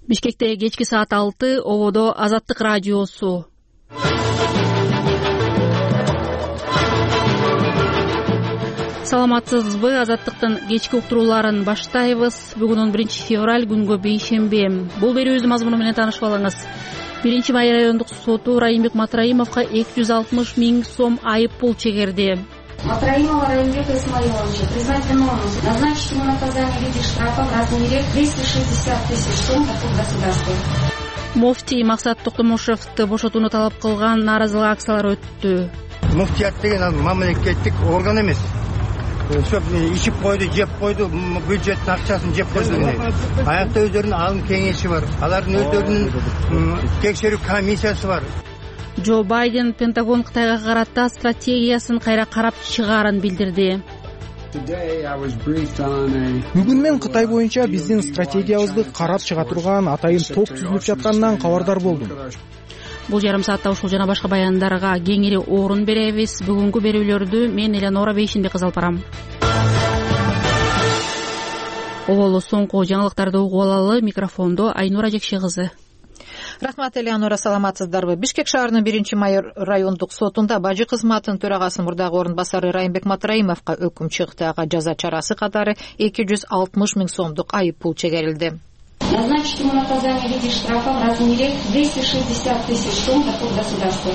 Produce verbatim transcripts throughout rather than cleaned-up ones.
Бишкекте кечки саат алты, ободо Азаттык радиосу. Саламатсызбы? Азаттыктын кечки уктурууларын баштайбыз. Бүгүн он биринчи февраль, күнгө бейшемби. Бул берүүбүздүн мазмуну менен таанышып алыңыз. биринчи май райондук соту Райымбек Матраимовго эки жүз алтымыш миң сом айып пул чегерди. Матраимова Райымбека Исмаиловича признать виновным, назначить ему наказание в виде штрафа в размере двести шестьдесят тысяч сом доход государства. Муфтий Максат Токтомушевду бошотууну талап кылган нааразылык акциялары өттү. Муфтият деген мамлекеттик орган эмес. Сөп ичип койду, жеп койду, бюджеттин акчасын жеп койду. Аякта өздөрүнүн алым кеңеши бар. Алардын өздөрүнүн текшерүү комиссиясы бар. Джо Байден Пентагон Кытайга карата стратегиясын кайра карап чыгаарын билдирди. Бүгүн мен Кытай боюнча биздин стратегиябызды карап чыга турган атайын топ түзүлүп жатканынан кабардар болдум. Бул жарым саатта ушул жана башка баяндарга кеңири орун беребиз. Бүгүнкү берүүлөрдү мен Элеонора Бейшинбек кызы алып барам. Оболу соңку жаңылыктарды угуп алалы. Микрофондо Айнура Жекше кызы. Рахмат, Элеонора, саламатсыздарбы? Бишкек шаарынын биринчи май райондук сотунда бажы кызматынын төрагасынын мурдагы орун басары Райымбек Матраимовго өкүм чыкты. Ага жаза чарасы катары эки жүз алтымыш миң сомдук айып пул чегерилди. Назначить ему наказание в виде штрафа в размере двести шестьдесят тысяч сом доход государства.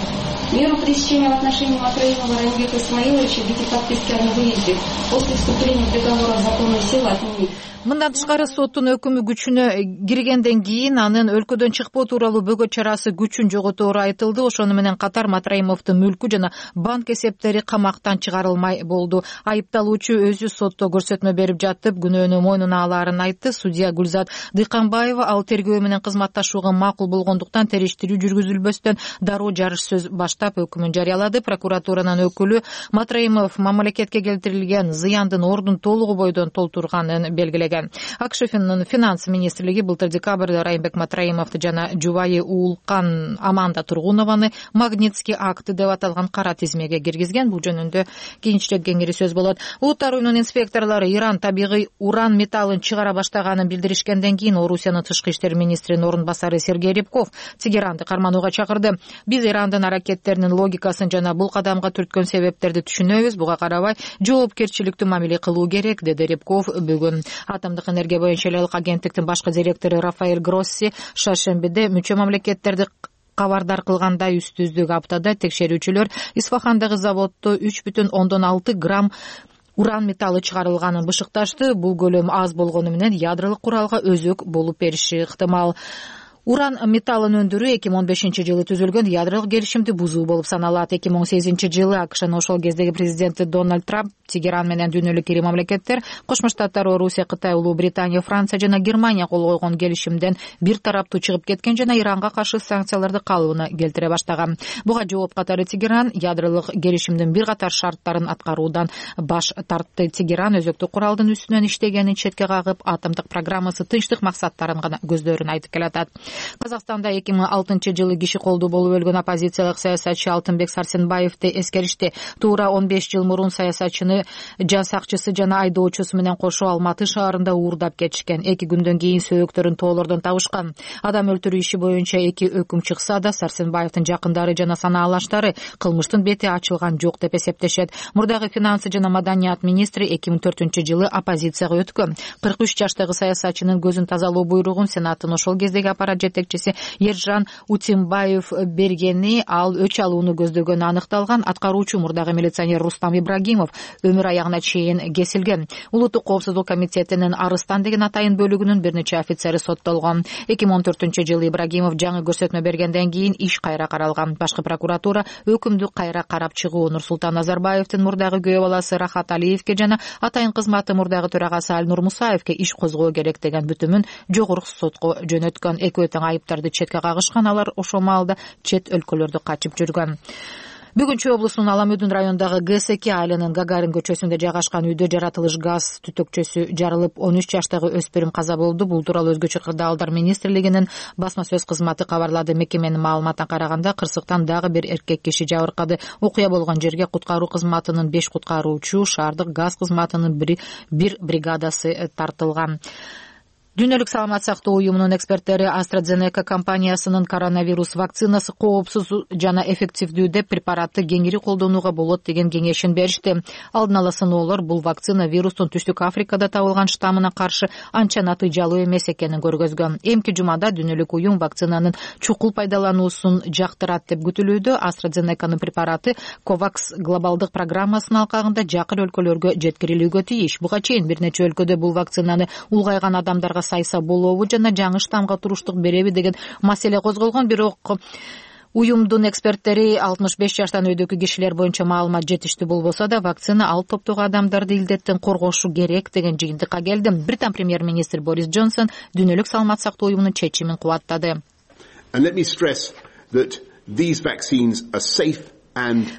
Меру пресечения в отношении Матраимова Райымбека Исмаиловича в виде подписки о невыезде после вступления в договор о законной силе отменить. Мындан тышкары соттун өкүмү күчүнө киргенден кийин анын өлкөдөн чыкпоо тууралуу бөгөт чарасы күчүн жоготору айтылды. Ошону менен катар Матраимовдун мүлкү жана банк эсептери камактан чыгарылмай болду. Айыпталуучу өзү сотто көрсөтмө берип жатып, күнөөнү мойнуна алаарын айтты. Судья Гүлзат Дыйканбаева ал тергөө менен кызматташууга макул болгондуктан териштирүү жүргүзүлбөстөн дароо жарыш сөз баштап өкүмүн жарыялады. Прокуратуранын өкүлү Матраимов мамлекетке келтирилген зыяндын ордун толугу бойдон толтурганын белгилеген. АКШФнын финанс министрлиги былтыр декабрда Райымбек Матраимовду жана жубайы Уулкан Аманда Тургунованы Магнитский акты деп аталган кара тизмеге киргизген. Бул жөнүндө кийинчерээк кеңири сөз болот. Улуттар уюмунун инспекторлору Иран табигый уран металлын чыгара баштаганын билдиришкенден кийин Орусиянын тышкы иштер министринин орун басары Сергей Рябков Тегеранды карманууга чакырды. Биз Ирандын аракеттеринин логикасын жана бул кадамга түрткөн себептерди түшүнөбүз. Буга карабай жоопкерчиликтүү мамиле кылуу керек, деди Рябков бүгүн. Атомдук энергия боюнча элек агенттиктин башкы директору Рафаэль Гросси шаршембиде мүчө мамлекеттерди кабардар кылгандай үстүздүк аптада текшерүүчүлөр Исфахандагы заводдо үч бүтүн ондон алты грамм уран металлы чыгарылганын бышыкташты. Бул көлөм аз болгону менен ядролук куралга өзөк болуп бериши ыктымал. Уран металлын өндүрүү эки миң он бешинчи жылы түзүлгөн ядролук келишимди бузуу болуп саналат. эки миң он сегизинчи жылы АКШнын ошол кездеги президенти Дональд Трамп Тегеран менен дүйнөлүк ири мамлекеттер Кошмо Штаттар, Орусия, Кытай, Улуу Британия, Франция жана Германия кол койгон келишимден бир тараптуу чыгып кеткен жана Иранга каршы санкцияларды калыбына келтире баштаган. Буга жооп катары Тегеран ядролук келишимдин бир катар шарттарын аткаруудан баш тартты. Тегеран өзөктүк куралдын үстүнөн иштегенин четке кагып, атомдук программасы тынчтык максаттарын гана көздөрүн айтып келатат. Казакстанда эки миң алтынчы жылы киши колдуу болуп өлгөн оппозициялык саясатчы Алтынбек Сарсенбаевди эскеришти. Туура он беш жыл мурун саясатчыны жан сакчысы жана айдоочусу менен кошо Алматы шаарында уурдап кетишкен. Эки күндөн кийин сөөгөктөрүн тоолордон табышкан. Адам өлтүрүү иши боюнча эки өкүм чыкса да, Сарсенбаевдин жакындары жана санаалаштары кылмыштын бети ачылган жок деп эсептешет. Мурдагы финанс жана маданият министри эки миң төртүнчү жылы оппозицияга өткөн. кырк үч жаштагы саясатчынын көзүн тазалоо буйругун Сенаттын ошол кездеги аппарат жетекчиси Ержан Утимбаев бергени, ал өч алууну көздөгөнү аныкталган. Аткаруучу мурдагы милиционер Рустам Ибрагимов өмүр аягына чейин кесилген. Улуттук коопсуздук комитетинин Арыстан деген атайын бөлүгүнүн бир нече офицери соттолгон. эки миң он төртүнчү жылы Ибрагимов жаңы көрсөтмө бергенден кийин иш кайра каралган. Башкы прокуратура өкүмдү кайра карап чыгуу Нурсултан Назарбаевдин мурдагы күйөө баласы Рахат Алиевке жана атайын кызматы мурдагы төрагасы Альнур Мусаевке иш козгоо керек деген бүтүмүн жогорку сотко жөнөткөн. Экөө тең айыптарды четке кагышкан. Алар ошол маалда чет өлкөлөрдө качып жүргөн. Бүгүн Чүй облусунун Аламөдүн районундагы ГСК айылынын Гагарин көчөсүндө жайгашкан үйдө жаратылыш газ түтөкчөсү жарылып, он үч жаштагы өспүрүм каза болду. Бул тууралуу Өзгөчө кырдаалдар министрлигинин басма сөз кызматы кабарлады. Мекеменин маалыматына караганда, кырсыктан дагы бир эркек киши жабыркады. Окуя болгон жерге куткаруу кызматынын беш куткаруучу, шаардык газ кызматынын бир бригадасы тартылган. Дүйнөлүк саламат сактоо уюмунун эксперттери AstraZeneca компаниясынын коронавирус вакцинасы коопсуз жана эффективдүү деп препаратты кеңири колдонууга болот деген кеңешин беришти. Алдын ала сыноолор бул вакцина вирустун Түштүк Африкада табылган штаммына каршы анча натыйжалуу эмес экенин көргөзгөн. Эмки жумада дүйнөлүк уюм вакцинанын чукул пайдалануусун жактырат деп күтүлүүдө. AstraZeneca'нын препараты COVAX глобалдык программасынын алкагында жакын өлкөлөргө жеткирилүүгө тийиш. Буга чейин бир нече өлкөдө бул вакцинаны улгайган адамдарга сайса болобу жана жаңы штамга туруштук береби деген маселе козголгон. Бирок уюмдун эксперттери алтымыш беш жаштан өйдөгү кишилер боюнча маалымат жетиштүү болбосо да вакцина ал топтогу адамдарды илдеттен коргошу керек деген жыйынтыкка келди. Британ премьер-министр Борис Джонсон дүйнөлүк саламат сактоо уюмунун чечимин кубаттады.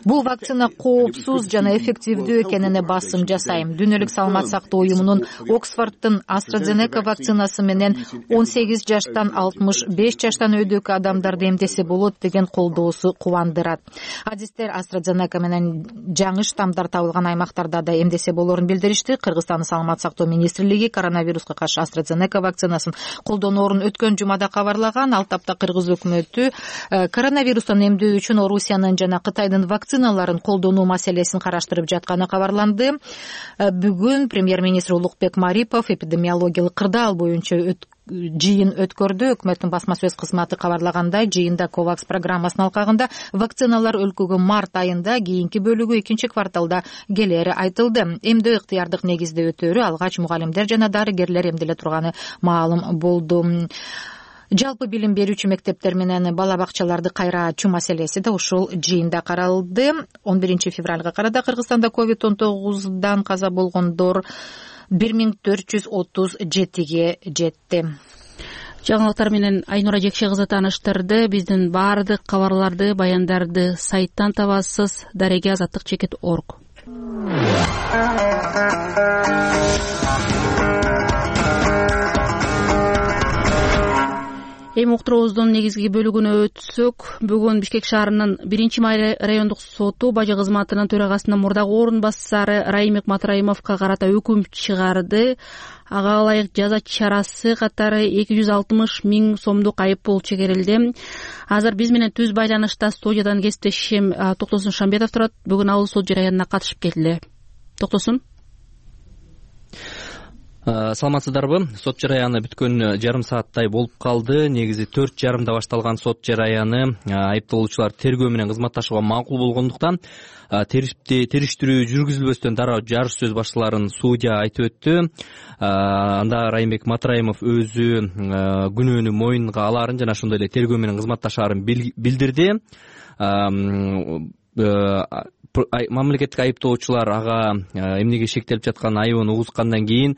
Бул вакцина коопсуз жана эффективдүү экенине басым жасайм. Дүйнөлүк саламат сактоо уюмунун Оксфордтун AstraZeneca вакцинасы менен он сегиз жаштан алтымыш беш жаштан өйдөгү адамдарды эмдесе болот деген колдоосу кубандырат. Адистер AstraZeneca менен жаңы штамдар табылган аймактарда да эмдесе болорун билдиришти. Кыргызстандын саламат сактоо министрлиги коронавируска каршы AstraZeneca вакцинасын колдоноорун өткөн жумада кабарлаган. Ал тапта кыргыз өкмөтү коронавирустан эмдөө үчүн Орусиянын жана Кытай вакциналарын колдонуу маселесин караштырып жатканы кабарланды. Бүгүн премьер-министр Улукбек Марипов эпидемиологиялык кырдаал боюнча жыйын өткөрдү. Өкмөттүн басма сөз кызматы кабарлагандай, жыйында COVAX программасынын алкагында вакциналар өлкөгө март айында, кийинки бөлүгү экинчи кварталда келери айтылды. Эмдөө ыктыярдык негизде өтөөрү алгач мугалимдер жана дарыгерлер эмделе турганы маалым болду. Жалпы билим берүүчү мектептер менен бала бакчаларды кайра ачуу маселеси да ушул жыйында каралды. он биринчи февралга карата Кыргызстанда ковид он тогуздан каза болгондор бир миң төрт жүз отуз жетиге жетти. Жаңылыктар менен Айнура Жекше кызы тааныштырды. Биздин баардык кабарларды, баяндарды сайттан табасыз. дареге азаттык чекит точка орг. Эми уктуруубуздун негизги бөлүгүнө өтсөк, бүгүн Бишкек шаарынын биринчи май райондук соту бажы кызматынын төрагасынын мурдагы орун басары Райымбек Матраимовго карата өкүм чыгарды. Ага ылайык жаза чарасы катары эки жүз алтымыш миң сомдук айып пул чегерилди. Азыр биз менен түз байланышта студиядан кесиптешим Токтосун Шамбетов турат. Бүгүн ал сот жараянына катышып келди. Токтосун. Саламатсыздарбы? Сот жараяны бүткөн жарым сааттай болуп калды. Негизи төрт жарымда башталган сот жараяны айыпталуучулар тергөө менен кызматташууга макул болгондуктан териштирүү жүргүзүлбөстөн дароо жарыш сөз башталарын судья айтып өттү. Анда Райымбек Матраимов өзү күнөөнү мойнунга алаарын жана ошондой эле тергөө менен кызматташаарын билдирди. Мамлекеттик айыптоочулар ага эмнеге шектелип жаткан айыбын угузгандан кийин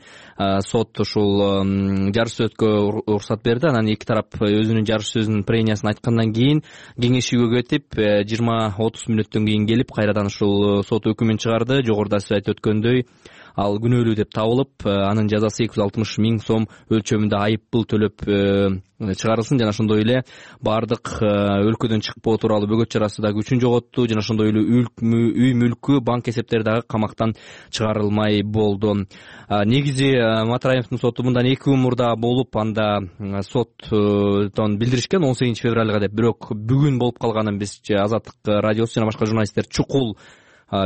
сот ушул жарыш сөзгө уруксат берди. Анан эки тарап өзүнүн жарыш сөзүнүн премиясын айткандан кийин кеңешүүгө кетип жыйырма отуз мүнөттөн кийин келип кайрадан ушул сот өкүмүн чыгарды. Жогоруда сиз айтып өткөндөй ал күнөөлүү деп табылып, анын жазасы эки жүз алтымыш миң сом өлчөмүндө айып пул төлөп чыгарылсын жана ошондой эле баардык өлкөдөн чыкпоо тууралуу бөгөт чарасы да күчүн жоготту жана ошондой эле үй мүлкү, банк эсептери дагы камактан чыгарылмай болду. Негизи Матраимовдун соту мындан эки күн мурда болуп, анда соттон билдиришкен он сегизинчи февралга деп. Бирок бүгүн болуп калганын биз Азаттык радиосу жана башка журналисттер чукул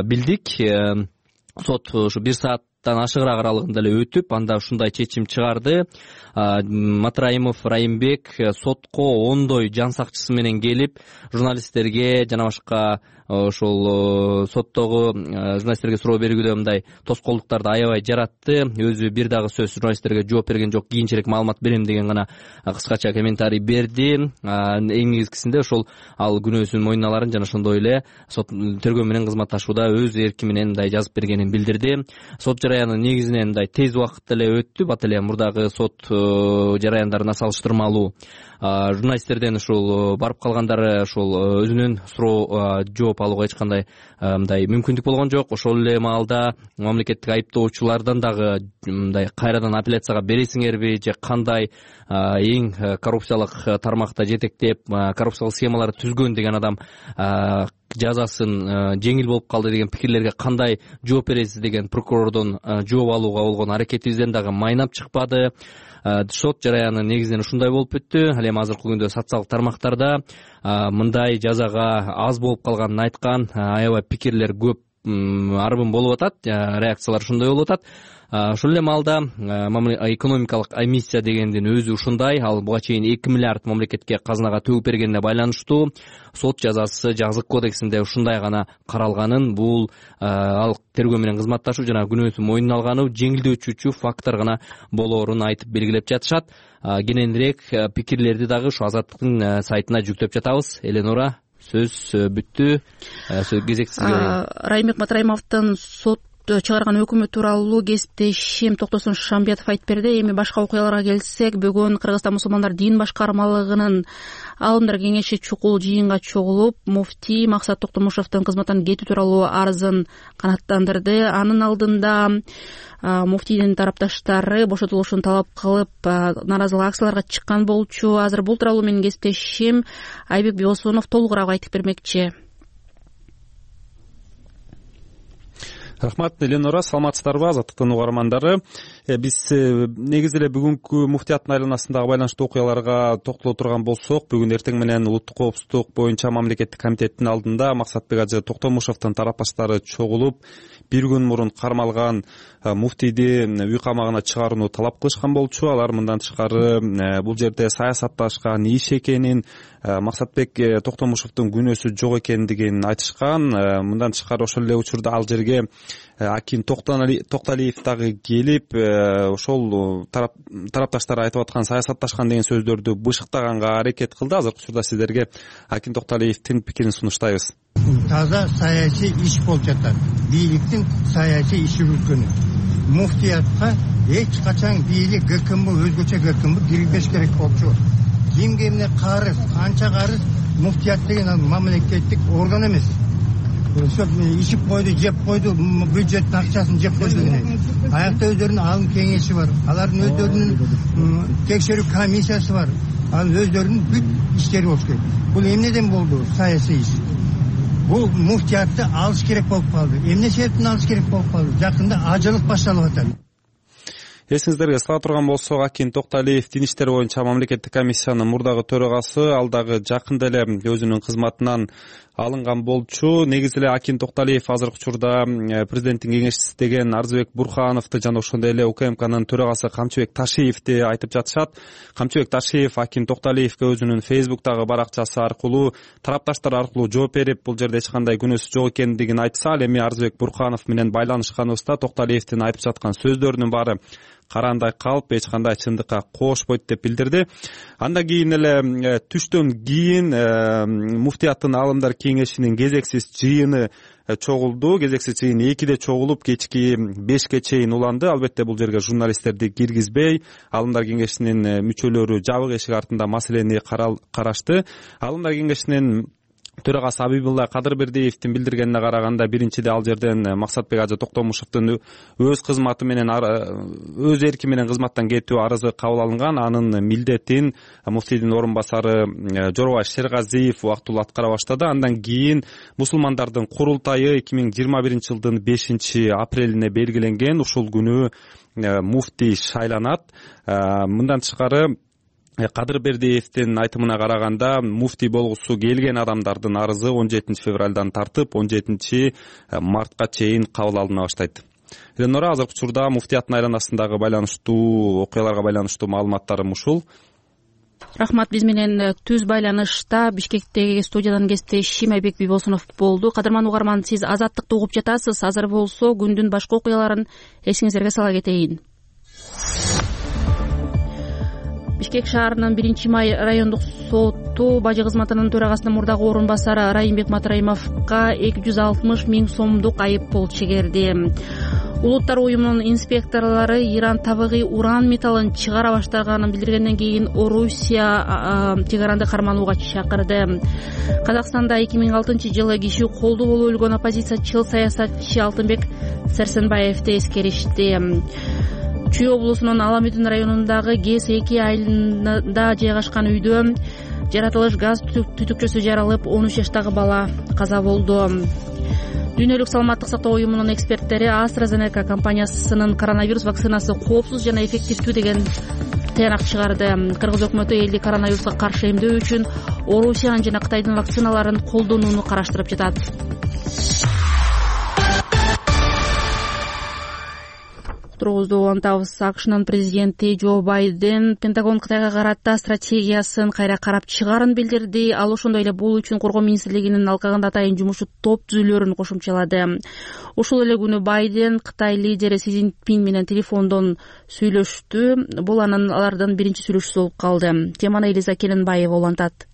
билдик. Сот ушу бир сааттан ашыгыраак аралыгында эле өтүп, анда ушундай чечим чыгарды. Матраимов Райымбек сотко ондой жан сакчысы менен келип, журналисттерге жана башка ошол соттогу журналисттерге суроо берүүгө мындай тоскоолдуктарды аябай жаратты. Өзү бир дагы сөз журналисттерге жооп берген жок, кийинчерээк маалымат берем деген гана кыскача комментарий берди. Эң негизгисинде ошол ал күнөөсүн мойнуна аларын жана ошондой эле сот тергөө менен кызматташууда өз эрки менен мындай жазып бергенин билдирди. Сот жараяны негизинен мындай тез убакытта эле өттү. Бат эле мурдагы сот жараяндарына салыштырмалуу. Журналисттерден ушул барып калгандары ушул өзүнүн суроо жооп алууга эч кандай мындай мүмкүндүк болгон жок. Ошол эле маалда мамлекеттик айыптоочулардан дагы мындай кайрадан апелляцияга бересиңерби же кандай эң коррупциялык тармакта жетектеп коррупциялык схемаларды түзгөн деген адам жазасын жеңил болуп калды деген пикирлерге кандай жооп бересиз деген прокурордон жооп алууга болгон аракетибизден дагы майнап чыкпады. сот жараяны негизинен ушундай болуп бүттү. Ал эми азыркы күндө социалдык тармактарда мындай жазага аз болуп калганын айткан аябай пикирлер көп арбын болуп атат, реакциялар ушундай болуп атат. Ошол эле маалда экономикалык эмиссия дегендин өзү ушундай. Ал буга чейин эки миллиард мамлекетке казынага төгүп бергенине байланыштуу сот жазасы жазык кодексинде ушундай гана каралганын, бул ал тергөө менен кызматташуу жана күнөөсүн мойнуна алганы жеңилдетүүчү фактор гана болоорун айтып белгилеп жатышат. Кененирээк пикирлерди дагы ушу Азаттыктын сайтына жүктөп жатабыз. Эленора, сөз бүттү. Сөз кезек сизге. Райымбек Матраимовдун сот чыгарган өкүмү тууралуу кесиптешим Токтосун Шамбетов айтып берди. Эми башка окуяларга келсек, бүгүн Кыргызстан мусулмандар дин башкармалыгынын алымдар кеңеши чукул жыйынга чогулуп, муфтий Максат Токтомушевдун кызматтан кетүү тууралуу арызын канааттандырды. Анын алдында муфтийдин тарапташтары бошотулушун талап кылып, нааразылык акцияларга чыккан болчу. Азыр бул тууралуу менин кесиптешим Айбек Бибосунов толугураак айтып бермекчи. Рахмат, Эленора, саламатсыздарбы, Азаттыктын угармандары. Биз негизи эле бүгүнкү муфтияттын айланасындагы байланыштуу окуяларга токтоло турган болсок, бүгүн эртең менен улуттук коопсуздук боюнча мамлекеттик комитеттин алдында Максатбек ажы Токтомушевдун тарапташтары чогулуп, бир күн мурун кармалган муфтийди үй камагына чыгарууну талап кылышкан болчу. Алар мындан тышкары бул жерде саясатташкан иш экенин, Максатбек Токтомушевдун күнөөсү жок экендигин айтышкан. Мындан тышкары ошол эле учурда ал жерге Акин Токталиев дагы келип, ошол тарапташтар айтып аткан саясатташкан деген сөздөрдү бышыктаганга аракет кылды. Азыркы учурда сиздерге Акин Токталиевдин пикирин сунуштайбыз. Таза саясий иш болуп жатат. Бийликтин саясий иши жүргөнү. Муфтиятка эч качан бийлик ГКМ өзгөчө ГКМ кирбеш керек болчу. Кимге эмне карыз, канча карыз, муфтият деген ал мамлекеттик орган эмес. Ишип койду, жеп койду, бюджеттин акчасын жеп койду деген. Аякта өздөрүнүн алым кеңеши бар. Алардын өздөрүнүн текшерүү комиссиясы бар. Ал өздөрүнүн бүт иштери болуш керек. Бул эмнеден болду? Саясий иш. Бул муфтиятты алыш керек болуп калды. Эмне себептен алыш керек болуп калды? Жакында ажылык башталып атат. Эсиңиздерге сала турган болсок, Акин Токталиев дин иштери боюнча мамлекеттик комиссиянын мурдагы төрагасы, ал дагы жакында эле өзүнүн кызматынан алынган болчу. Негизи эле Акин Токталиев азыркы учурда президенттин кеңешчиси деген Арзыбек Бурхановду жана ошондой эле УКМКнын төрагасы Камчыбек Ташиевди айтып жатышат. Камчыбек Ташиев Акин Токталиевге өзүнүн Фейсбуктагы баракчасы аркылуу, тарапташтар аркылуу жооп берип, бул жерде эч кандай күнөөсү жок экендигин айтса, ал эми Арзыбек Бурханов менен байланышканыбызда Токталиевдин айтып жаткан сөздөрүнүн баары караандай калып, эч кандай чындыкка коошпойт деп билдирди. Андан кийин эле түштөн кийин муфтияттын алымдар кеңешинин кезексиз жыйыны чогулду. Кезексиз жыйын экиде чогулуп, кечки бешке чейин уланды. Албетте бул жерге журналисттерди киргизбей, алымдар кеңешинин мүчөлөрү жабык эшик артында маселени карашты. Алымдар кеңешинин төрагасы Абибулла Кадырбердиевдин билдиргенине караганда, биринчиде ал жерден Максатбек ажы Токтомушевдун өз кызматы менен, өз эрки менен кызматтан кетүү арызы кабыл алынган. Анын милдетин муфтийдин орун басары Жорбай Шергазиев убактылуу аткара баштады. Андан кийин мусулмандардын курултайы эки миң жыйырма биринчи жылдын бешинчи апрелине белгиленген. Ушул күнү муфтий шайланат. Мындан тышкары Кадырбердиевдин айтымына караганда, муфтий болгусу келген адамдардын арызы он жетинчи февралдан тартып, он жетинчи мартка чейин кабыл алына баштайт. Эленора, азыркы учурда муфтияттын айланасындагы байланыштуу окуяларга байланыштуу маалыматтарым ушул. Рахмат, биз менен түз байланышта Бишкектеги студиядан кесиптешим Айбек Бибосунов болду. Кадырман угарман, сиз Азаттыкты угуп жатасыз. Азыр болсо күндүн башка окуяларын эсиңиздерге сала кетейин. Бишкек шаарынын биринчи май райондук соту бажы кызматынын төрагасынын мурдагы орун басары Райымбек Матраимовго эки жүз алтымыш миң сомдук айып пул чегерди. Улуттар уюмунун инспекторлору Иран табигый уран металлын чыгара баштаганын билдиргенден кийин Орусия чек аранды карманууга чакырды. Казакстанда эки миң алтынчы жылы киши колдуу болуп өлгөн оппозициячыл саясатчы Алтынбек Сәрсенбаевди эскеришти. Чүй облусунун Аламүдүн районундагы ГЭС эки айылында жайгашкан үйдө жаратылыш газ түтүкчөсү жаралып, он үч жаштагы бала каза болду. Дүйнөлүк саламаттык сактоо уюмунун эксперттери AstraZeneca компаниясынын коронавирус вакцинасы коопсуз жана эффективдүү деген тыянак чыгарды. Кыргыз өкмөтү элди коронавируска каршы эмдөө үчүн Орусиянын жана Кытайдын вакциналарын колдонууну караштырып жатат. Уктуруубузду улантабыз. АКШнын президенти Джо Байден Пентагон Кытайга карата стратегиясын кайра карап чыгаарын билдирди. Ал ошондой эле бул үчүн Коргоо министрлигинин алкагында атайын жумуш топ түзүлөөрүн кошумчалады. Ошол эле күнү Байден Кытай лидери Си Цзиньпин менен телефондон сүйлөштү. Бул анын алардын биринчи сүйлөшүүсү болуп калды. Теманы Элиза Келенбаева улантат.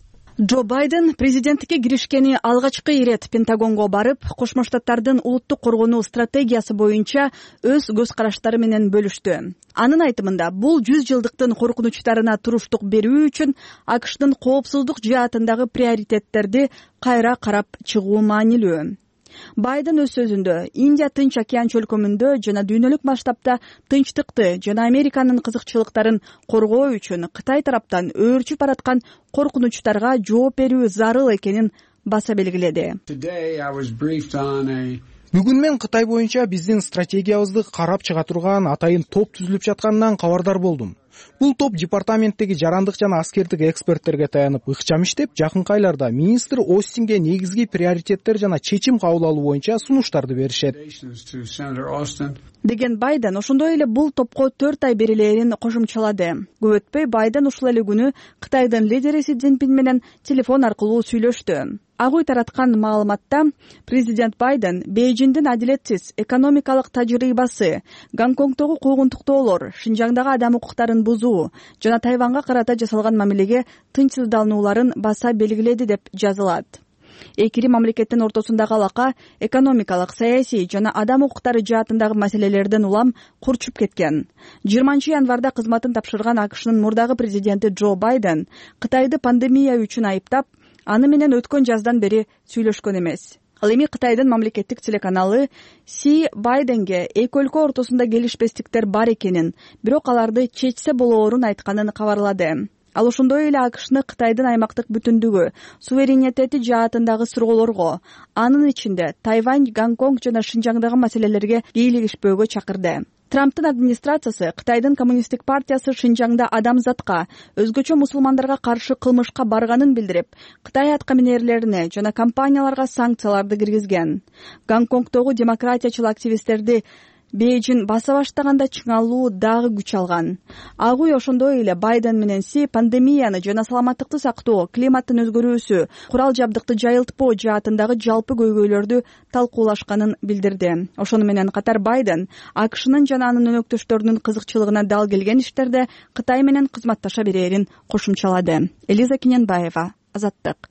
Джо Байден президенттикке киришкени алгачкы ирет Пентагонго барып, Кошмо Штаттардын улуттук коргонуу стратегиясы боюнча өз көз караштары менен бөлүштү. Анын айтымында, бул жүз жылдыктын коркунучтарына туруштук берүү үчүн АКШдын коопсуздук жаатындагы приоритеттерди кайра карап чыгуу маанилүү. Байден өз сөзүндө Индия Тынч океан чөлкөмүндө жана дүйнөлүк масштабта тынчтыкты жана Американын кызыкчылыктарын коргоо үчүн Кытай тараптан өөрчүп бараткан коркунучтарга жооп берүү зарыл экенин баса белгиледи. Бүгүн мен Кытай боюнча биздин стратегиябызды карап чыга турган атайын топ түзүлүп жатканынан кабардар болдум. Бул топ департаменттеги жарандык жана аскердик эксперттерге таянып ыкчам иштеп, жакынкы айларда министр Остинге негизги приоритеттер жана чечим кабыл алуу боюнча сунуштарды беришет деген Байден ошондой эле бул топко төрт ай берилээрин кошумчалады. Көп өтпөй Байден ушул эле күнү Кытайдын лидери Си Цзиньпин менен телефон аркылуу сүйлөштү. Ак үй тараткан маалыматта президент Байден Бейжиңдин адилетсиз экономикалык тажрыйбасы, Гонконгдогу куугунтуктоолор, Шинжаңдагы адам укуктарын бузуу жана Тайванга карата жасалган мамилеге тынчсызданууларын баса белгиледи деп жазылат. Эки мамлекеттин ортосундагы алака экономикалык, саясий жана адам укуктары жаатындагы маселелерден улам курчуп кеткен. жыйырманчы январда кызматын тапшырган АКШнын мурдагы президенти Джо Байден Кытайды пандемия үчүн айыптап, аны менен өткөн жаздан бери сүйлөшкөн эмес. Ал эми Кытайдын мамлекеттик телеканалы Си Байденге эки өлкө ортосунда келишпестиктер бар экенин, бирок аларды чечсе болоорун айтканын кабарлады. Ал ошондой эле АКШны Кытайдын аймактык бүтүндүгү, суверенитети жаатындагы суроолорго, анын ичинде Тайвань, Гонконг жана Шинжаңдагы маселелерге бийлигишпөөгө чакырды. Трамптын администрациясы Кытайдын коммунисттик партиясы Шинжаңда адамзатка, өзгөчө мусулмандарга каршы кылмышка барганын билдирип, Кытай аткаминерлерине жана компанияларга санкцияларды киргизген. Гонконгдогу демократиячыл активисттерди Бейжиң баса баштаганда чыңалуу дагы күч алган. Ак үй ошондой эле Байден менен Си пандемияны жана саламаттыкты сактоо, климаттын өзгөрүүсү, курал жабдыкты жайылтпоо жаатындагы жалпы көйгөйлөрдү талкуулашканын билдирди. Ошону менен катар Байден АКШнын жана анын өнөктөштөрүнүн кызыкчылыгына дал келген иштерде Кытай менен кызматташа берерин кошумчалады. Элиза Келенбаева, Азаттык.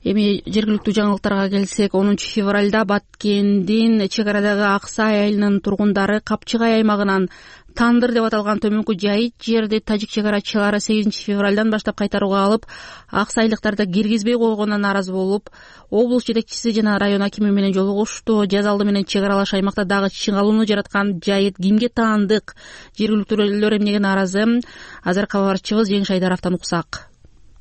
Эми жергиликтүү жаңылыктарга келсек, онунчу февралда Баткендин чек арадагы Аксай айылынын тургундары Капчыгай аймагынан Тандыр деп аталган төмөнкү жайыт жерди тажик чек арачылары сегизинчи февралдан баштап кайтарууга алып, аксайлыктарды киргизбей койгонуна нааразы болуп, облус жетекчиси жана район акими менен жолугушту. Жаз алды менен чек аралаш аймакта дагы чыңалууну жараткан жайыт кимге таандык? Жергиликтүүлөр эмнеге нааразы? Азыр кабарчыбыз Жеңиш Айдаровдон уксак.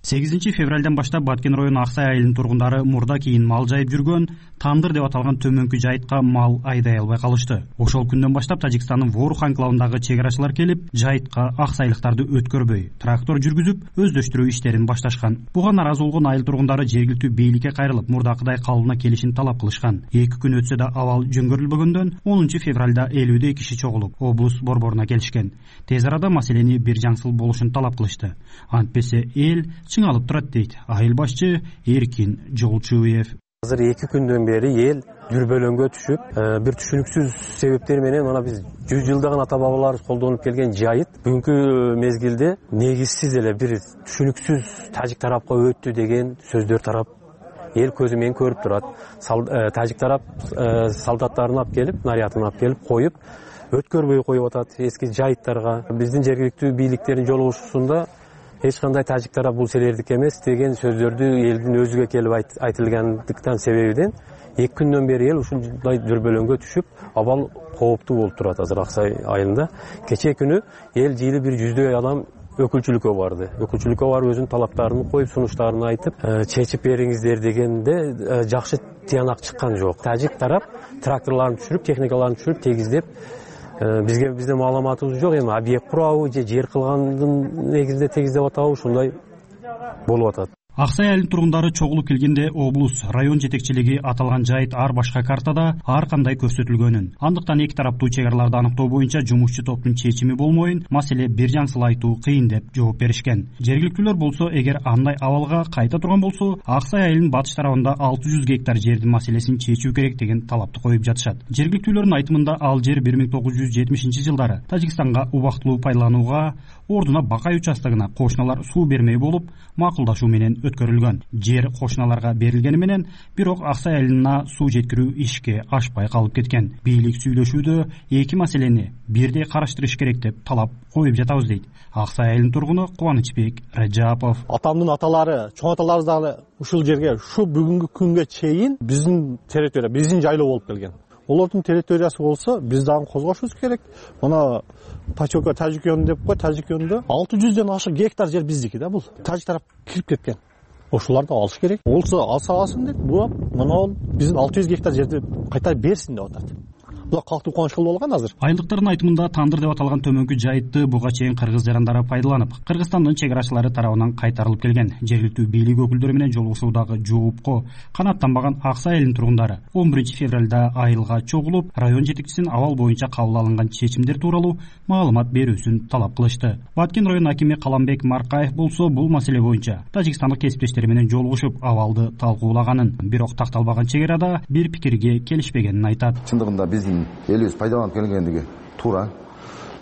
сегизинчи февралдан баштап Баткен району Аксай айылынын тургундары мурда кийин мал жайып жүргөн Тандыр деп аталган төмөнкү жайытка мал айдай албай калышты. Ошол күндөн баштап Тажикстандын Ворух анклавындагы чек арачылар келип, жайытка аксайлыктарды өткөрбөй, трактор жүргүзүп, өздөштүрүү иштерин башташкан. Буга нааразы болгон айыл тургундары жергиликтүү бийликке кайрылып, мурдакыдай калыбына келишин талап кылышкан. эки күн өтсө да абал жөнгөрүлбөгөндөн онунчу февралда элүүдөй киши чогулуп, облус борборуна келишкен. Тез арада маселени бир жаңсыл болушун талап кылышты. Антпесе эл чыңалып турат дейт айыл башчы Эркин Жолчуев. Азыр эки күндөн бери эл дүрбөлөңгө түшүп, бир түшүнүксүз себептер менен мына биз жүз жылдаган ата бабаларыбыз колдонуп келген жайыт бүгүнкү мезгилде негизсиз эле бир түшүнүксүз тажик тарапка өттү деген сөздөр тарап эл көзү менен көрүп турат. Тажик тарап солдаттарын алып келип, нарядын алып келип коюп, өткөрбөй коюп атат эски жайыттарга. Биздин жергиликтүү бийликтердин жолугушуусунда эч кандай тажик тарап бул силердики эмес деген сөздөрдү элдин өзүгө келип айтылгандыктан себебиден эки күндөн бери эл ушундай дүрбөлөңгө түшүп, абал кооптуу болуп турат азыр Аксай айылында. Кечээ күнү эл жыйылып бир жүздөй адам өкүлчүлүккө барды. Өкүлчүлүккө барып өзүнүн талаптарын коюп, сунуштарын айтып, чечип бериңиздер дегенде жакшы тыянак чыккан жок. Тажик тарап тракторларын түшүрүп, техникаларын түшүрүп, тегиздеп бизге бизде маалыматыбыз жок. Эми объект курабы же жер кылгандын негизинде тегиздеп атабы ушундай болуп атат. Ак Сай айылынын тургундары чогулуп келгенде облус, район жетекчилиги аталган жайыт ар башка картада ар кандай көрсөтүлгөнүн, андыктан эки тараптуу чек араларды аныктоо боюнча жумушчу топтун чечими болмоюн, маселе бир жансыл айтуу кыйын деп жооп беришкен. Жергиликтүүлөр болсо, эгер андай абалга кайта турган болсо, Ак Сай айылынын батыш тарабында алты жүз гектар жердин маселесин чечүү керек деген талапты коюп жатышат. Жергиликтүүлөрдүн айтымында ал жер бир миң тогуз жүз жетимишинчи жылдары Тажикстанга убактылуу пайдаланууга, ордуна Бакай участогуна кошуналар суу бермей болуп, макулдашуу менен өткөрүлгөн. Жер кошуналарга берилгени менен, бирок Ак Сай айылына суу жеткирүү ишке ашпай калып кеткен. Бийлик сүйлөшүүдө эки маселени бирдей караштырыш керек деп талап коюп жатабыз дейт Ак Сай айылынын тургуну Кубанычбек Раджапов. Атамдын аталары, чоң аталарыбыз дагы ушул жерге, ушу бүгүнкү күнгө чейин биздин территория, биздин жайлоо болуп келген. Олордун территориясы болсо, биз дагы козгошубуз керек. Мына Пачока Тажикон деп кой, Тажикондо алты жүздөн ашык гектар жер биздики да бул. Тажик тарап кирип кеткен. Ошоларды алыш керек. Болсо алса алсын деп, бурап, мына биздин алты жүз гектар жерди кайта берсин деп атат. Бул калктуу кубанычкыл болгон азыр. Айылдыктардын айтымында Тандыр деп аталган төмөнкү жайытты буга чейин кыргыз жарандары пайдаланып, Кыргызстандын чек арачылары тарабынан кайтарылып келген. Жергиликтүү бийлик өкүлдөрү менен жолугушуудагы жоопко канааттанбаган Ак Сай айылынын тургундары он биринчи февралда айылга чогулуп, район жетекчисинин абал боюнча кабыл алынган чечимдер тууралуу маалымат берүүсүн талап кылышты. Баткен район акими Каламбек Маркаев болсо, бул маселе боюнча тажикстандык кесиптештери менен жолугушуп, абалды талкуулаганын, бирок такталбаган чек арада бир пикирге келишпегенин айтат. Чындыгында биздин элибиз пайдаланып келгендиги туура.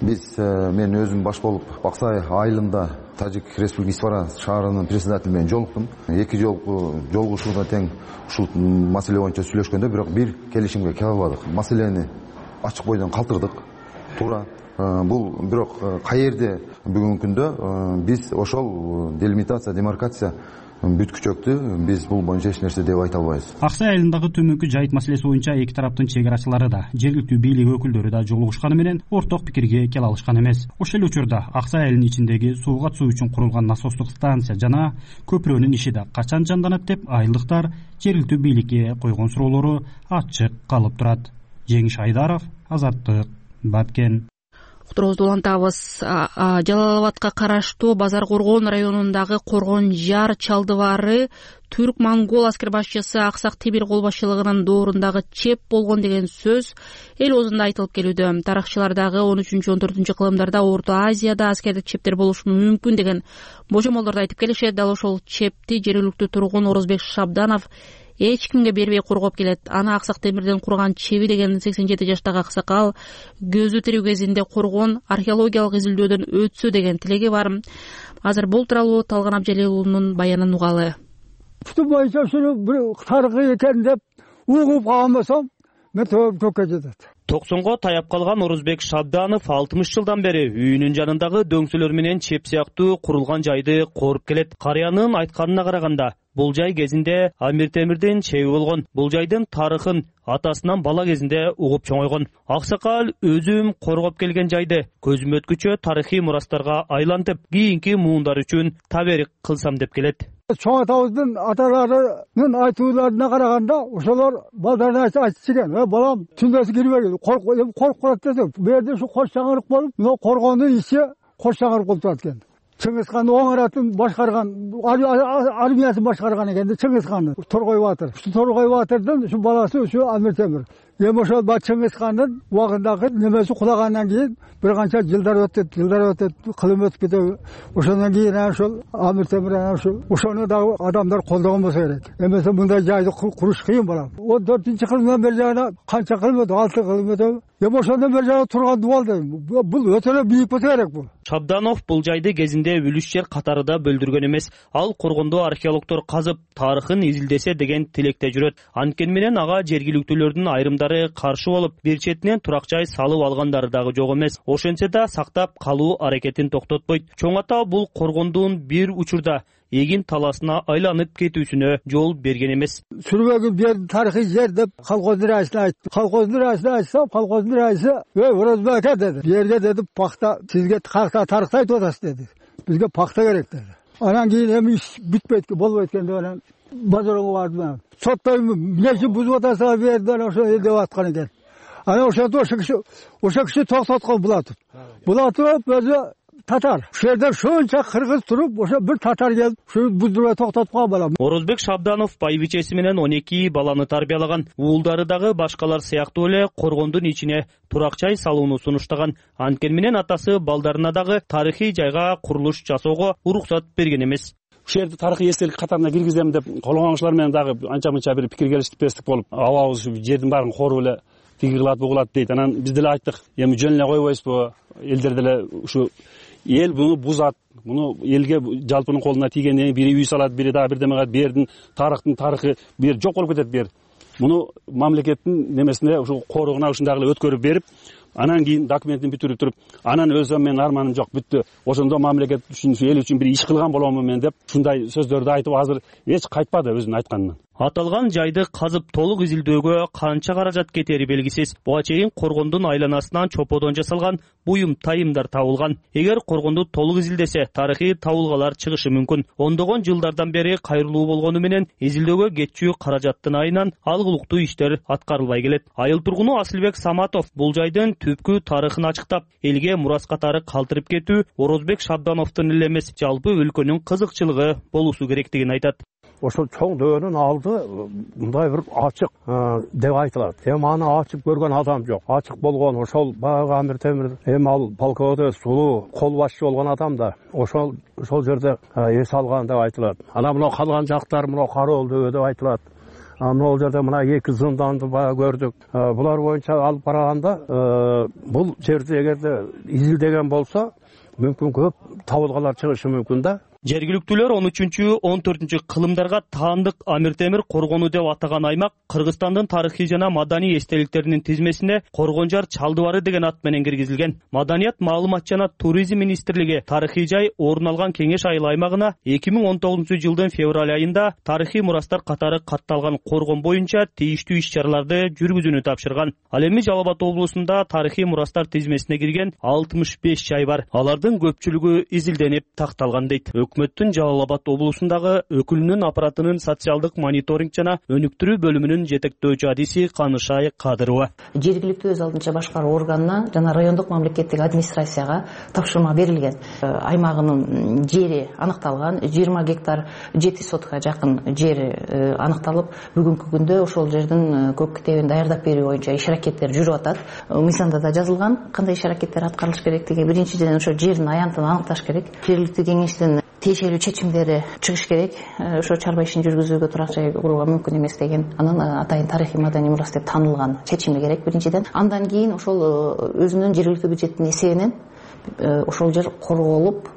Биз мен өзүм баш болуп Ак Сай айылында Тажик Республика Исфара шаарынын председатели менен жолуктум. Эки жолку жолугушууда тең ушул маселе боюнча сүйлөшкөндө, бирок бир келишимге келе албадык. Маселени ачык бойдон калтырдык. Туура. Бул бирок кай жерде бүгүнкү күндө биз ошол делимитация, демаркация бүткүчөктү биз бул боюнча эч нерсе деп айта албайбыз. Ак Сай айылындагы төмөнкү жайыт маселеси боюнча эки тараптын чек арачылары да, жергиликтүү бийлик өкүлдөрү да жолугушканы менен орток пикирге келе алышкан эмес. Ошол эле учурда Ак Сай айылынын ичиндеги сууга суу үчүн курулган насостук станция жана көпүрөнүн иши да качан жанданат деп айылдыктар жергиликтүү бийликке койгон суроолору ачык калып турат. Жеңиш Айдаров, Азаттык, Баткен. Уктуруубузду улантабыз. Жалал Абадка караштуу Базар Коргон районундагы Коргон Жар чалдыбары түрк-монгол аскер башчысы Аксак Темир кол башчылыгынын доорундагы чеп болгон деген сөз эл оозунда айтылып келүүдө. Тарыхчылар дагы он үчүнчү он төртүнчү кылымдарда Орто Азияда аскердик чептер болушу мүмкүн деген божомолдорду айтып келишет. Дал ошол чепти жергиликтүү тургун Орозбек Шабданов эч кимге бербей коргоп келет. Аны Аксак Темирден курган чеби деген сексен жети жаштагы аксакал көзү тирүү кезинде Коргон археологиялык изилдөөдөн өтсө деген тилеги бар. Азыр бул тууралуу Талган Абжалилуулунун баянын угалы. Күтү боюнча ушуну бир тарыхый экен деп угуп калган болсом, мен төккө жетет. токсонго таяп калган Орозбек Шабданов алтымыш жылдан бери үйүнүн жанындагы дөңсөлөр менен чеп сыяктуу курулган жайды коруп келет. Карыянын айтканына караганда, бул жай кезинде Амир Темирдин чеби болгон. Бул жайдын тарыхын атасынан бала кезинде угуп чоңойгон. Аксакал өзүм коргоп келген жайды көзүм өткүчө тарыхый мурастарга айлантып, кийинки муундар үчүн таберик кылсам деп келет. Чоң атабыздын аталарынын айтууларына караганда, ошолор балдарына айтчу экен: "Э балам, түндөсү кирбегил, коркуп коркуп десе, бу жерде ушу кош чаңырык болуп, мына Коргондун ичи кош чаңырык болуп турат экен. Чыңгызхан оңаратын башкарган, армиясын башкарган экен, Чыңгызхандын, Торгой Батыр. Ушу Торгой Батырдын ушу баласы ушу Амир Темир. Эми ошол Чыңгызхандын убагындагы немеси кулагандан кийин бир канча жылдар өтөт, жылдар өтөт, кылым өтүп кетет. Ошондон кийин ошол Амир Темир ошол ошону дагы адамдар колдогон болсо керек. Эмесе мындай жайды куруш кыйын болот. он төртүнчү кылымдан бери жана канча кылым өтөт, алты кылым өтөт. Эми ошондон бери жана турган дубалды. Бул өтө эле бийик болсо керек бул. Шабданов бул жайды кезинде үлүш жер катарында бөлдүргөн эмес. Ал Коргондо археологдор казып, тарыхын изилдесе деген тилекте жүрөт. Анткени менен ага жергиликтүүлөрдүн айрымдары каршы болуп, бир четинен турак жай салып алгандары дагы жок эмес. Ошентсе да сактап калуу аракетин токтотпойт. Чоң ата бул Коргондун бир учурда эгин таласына айланып кетүүсүнө жол берген эмес. Сүрбөгүн бер тарыхый жер деп колхоздун раисине айтты. Колхоздун раисине айтса, колхоздун раиси: "Эй, Орозбек ака" деди. "Бу жерге деди пахта, сизге тарыхта тарыхта айтып атасыз" деди. "Бизге пахта керек" деди. Анан кийин эми иш бүтпөйт, болбойт экен деп анан базарга бардым. Соттойм, эмне үчүн бузуп атасыңар бу жерде ошо деп аткан экен. анан ошентип ошо киши ошо киши токтоткон Булатов. Булатов өзү татар. Ошол жерде шунча кыргыз туруп, ошо бир татар келип, ушу буздурбай токтотуп калган балам. Орозбек Шабданов байбичеси менен он эки баланы тарбиялаган. Уулдары дагы башкалар сыяктуу эле коргондун ичине турак жай салууну сунуштаган. Анткени менен атасы балдарына дагы тарыхый жайга курулуш жасоого уруксат берген эмес. Ушул жерди тарыхый эстелик катарына киргизем деп колгонучлар менен дагы анча мынча бир пикир келиштикпестик болуп, абабыз ушу жердин баарын коруп эле тиги кылат, бу кылат дейт. Анан биз деле айттык, эми жөн эле койбойбузбу? Элдер деле ушу эл буну бузат, муну элге жалпынын колуна тийгенден бири үй салат, бири дагы бирдеме кылат, бердин тарыхтын тарыхы бир жок болуп кетет. Бер муну мамлекеттин немесине ушу коругуна ушундагы эле өткөрүп берип, анан кийин документин бүтүрүп туруп, анан өзүм менин арманым жок, бүттү, ошондо мамлекет үчүн, эл үчүн бир иш кылган боломун мен деп ушундай сөздөрдү айтып азыр эч кайтпады өзүнүн айтканынан. Аталган жайды казып толук изилдөөгө канча каражат кетери белгисиз. Буга чейин коргондун айланасынан чоподон жасалган буюм тайымдар табылган. Эгер коргонду толук изилдесе, тарыхый табылгалар чыгышы мүмкүн. Ондогон жылдардан бери кайрылуу болгону менен изилдөөгө кетчү каражаттын айынан алгылыктуу иштер аткарылбай келет. Айыл тургуну Асылбек Саматов бул жайдын түпкү тарыхын ачыктап, элге мурас катары калтырып кетүү Орозбек Шабдановдун эле эмес, жалпы өлкөнүн кызыкчылыгы болуусу керектигин айтат. Ошол чоң дөөнүн алды мындай бир ачык деп айтылат. Эми аны ачып көргөн адам жок. Ачык болгон ошол баягы Амир Темир, эми ал полководец сулуу кол башчы болгон адам да ошол ошол жерде эс алган деп айтылат. Анан мына калган жактар мына Кароол дөбө деп айтылат. Могул жерде мына эки зынданды баягы көрдүк. Булар боюнча алып караганда бул жерди эгерде изилдеген болсо мүмкүн көп табылгалар чыгышы мүмкүн да. Жергиликтүүлөр он үчүнчү он төртүнчү кылымдарга таандык Амир Темир коргону деп атаган аймак Кыргызстандын тарыхый жана маданий эстеликтеринин тизмесине Коргонжар Чалдыбары деген ат менен киргизилген. Маданият, маалымат жана туризм министрлиги тарыхый жай орун алган Кеңеш айыл аймагына эки миң он тогузунчу жылдын февраль айында тарыхый мурастар катары катталган коргон боюнча тийиштүү иш-чараларды жүргүзүүнү тапшырган. Ал эми Жалал Абад облусунда тарыхый мурастар тизмесине кирген алтымыш беш жай бар. Алардын көпчүлүгү изилденип такталган дейт. Өкмөттүн Жалал Абад облусундагы өкүлүнүн аппаратынын социалдык мониторинг жана өнүктүрүү бөлүмүнүн жетектөөчү адиси Канышай Кадырова. Жергиликтүү өз алдынча башкаруу органына жана райондук мамлекеттик администрацияга тапшырма берилген. Аймагынын жери аныкталган, жыйырма гектар жети сотка жакын жери аныкталып, бүгүнкү күндө ошол жердин көк китебин даярдап берүү боюнча иш аракеттер жүрүп атат. Мыйзамда да жазылган кандай иш аракеттер аткарылыш керектиги. Биринчиден ошо жердин аянтын аныкташ керек. Жергиликтүү кеңештин тиешелүү чечимдери чыгыш керек. Ошо чарба ишин жүргүзүүгө турак жай курууга мүмкүн эмес деген анын атайын тарыхый маданий мурас деп танылган чечими керек биринчиден. Андан кийин ошол өзүнүн жергиликтүү бюджеттин эсебинен ошол жер корголуп,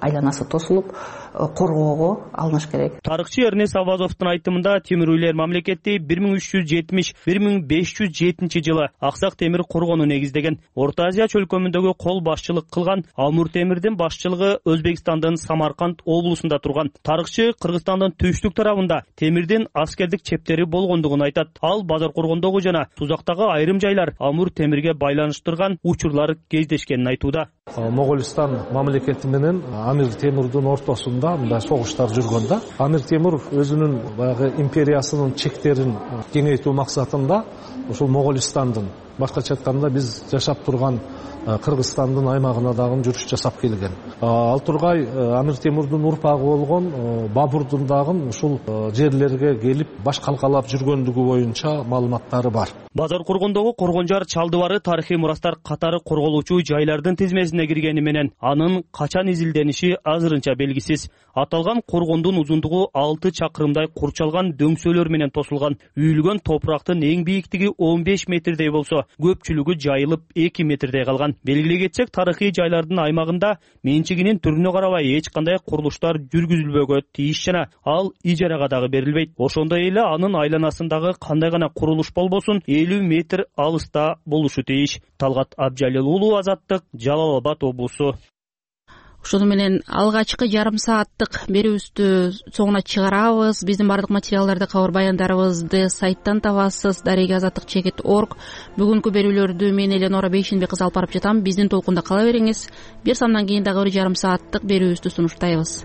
айланасы тосулуп, коргоого алыныш керек. Тарыхчы Эрнес Авазовдун айтымында Темир үйлер мамлекети бир миң үч жүз жетимиш — бир миң беш жүз жетинчи жылы Аксак Темир коргону негиздеген. Орто Азия чөлкөмүндөгү кол башчылык кылган Амур Темирдин башчылыгы Өзбекстандын Самарканд облусунда турган. Тарыхчы Кыргызстандын түштүк тарабында Темирдин аскердик чептери болгондугун айтат. Ал Базар коргондогу жана Тузактагы айрым жайлар Амур Темирге байланыштырган учурлар кездешкенин айтууда. Моголистан мамлекети менен Амир Темирдин ортосунда мындай согуштар жүргөн да. Амир Темир өзүнүн баягы империясынын чектерин кеңейтүү максатында ошол Моголистандын, башкача айтканда биз жашап турган Кыргызстандын аймагына дагы жүрүш жасап келген. Ал тургай Амир Темирдин урпагы болгон Бабурдун дагы ушул жерлерге келип баш калкалап жүргөндүгү боюнча маалыматтары бар. Базар коргондогу Коргонжар Чалдыбары тарыхый мурастар катары корголуучу жайлардын тизмесине киргени менен анын качан изилдениши азырынча белгисиз. Аталган коргондун узундугу алты чакырымдай курчалган дөңсөлөр менен тосулган. Үйүлгөн топурактын эң бийиктиги он беш метрдей болсо, көпчүлүгү жайылып эки метрдей калган. Белгилей кетсек, тарыхый жайлардын аймагында менчигинин түрүнө карабай эч кандай курулуштар жүргүзүлбөгө тийиш жана ал ижарага дагы берилбейт. Ошондой эле анын айланасындагы кандай гана курулуш болбосун элүү метр алыста болушу тийиш. Талгат Абжалил уулу, Азаттык, Жалал Абад облусу. Ошону менен алгачкы жарым сааттык берүүбүздү соңуна чыгарабыз. Биздин бардык материалдарды, кабар баяндарыбызды сайттан табасыз. дареги азаттык чекит точка орг. Бүгүнкү берүүлөрдү мен Эленора Бейшенбек кызы алып барып жатам. Биздин толкунда кала бериңиз. Бир сандан кийин дагы бир жарым сааттык берүүбүздү сунуштайбыз.